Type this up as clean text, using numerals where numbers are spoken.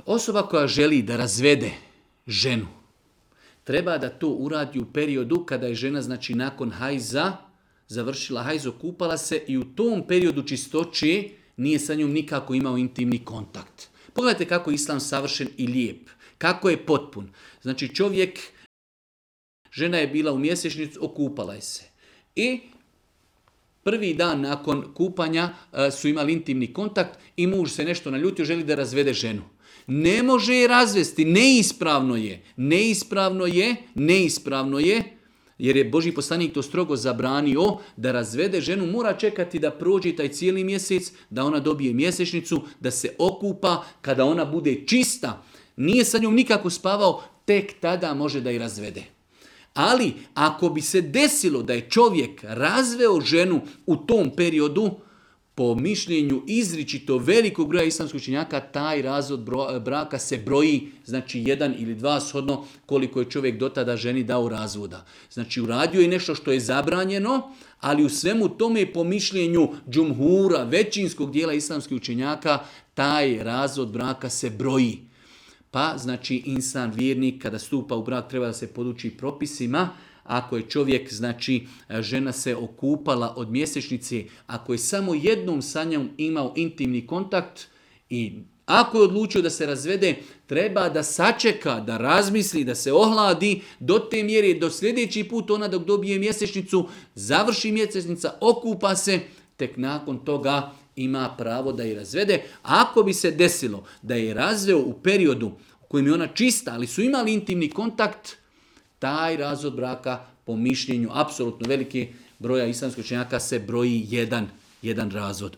Osoba koja želi da razvede ženu, treba da to uradi u periodu kada je žena, znači nakon hajza, završila hajz, okupala se i u tom periodu čistoće nije sa njom nikako imao intimni kontakt. Pogledajte kako je islam savršen i lijep, kako je potpun. Znači žena je bila u mjesečnicu, okupala je se. I prvi dan nakon kupanja su imali intimni kontakt i muž se nešto naljutio, želi da razvede ženu. Ne može je razvesti, neispravno je, jer je Božji poslanik to strogo zabranio, da razvede ženu, mora čekati da prođe taj cijeli mjesec, da ona dobije mjesečnicu, da se okupa, kada ona bude čista, nije sa njom nikako spavao, tek tada može da je razvede. Ali ako bi se desilo da je čovjek razveo ženu u tom periodu, po mišljenju izričito velikog broja islamskih učenjaka, taj razvod braka se broji, znači 1 ili 2 shodno koliko je čovjek do tada ženi dao razvoda. Znači uradio je nešto što je zabranjeno, ali u svemu tome po mišljenju džumhura, većinskog dijela islamskih učenjaka, taj razvod braka se broji. Pa znači insan vjernik kada stupa u brak treba da se poduči propisima. Ako je čovjek, znači žena se okupala od mjesečnice, ako je samo jednom sa njom imao intimni kontakt i ako je odlučio da se razvede, treba da sačeka, da razmisli, da se ohladi do te mjere, do sljedeći put ona dok dobije mjesečnicu, završi mjesečnica, okupa se, tek nakon toga ima pravo da je razvede. Ako bi se desilo da je razveo u periodu u kojem je ona čista, ali su imali intimni kontakt, taj razvod braka po mišljenju apsolutno velike broja islamskih učenjaka se broji jedan razvod.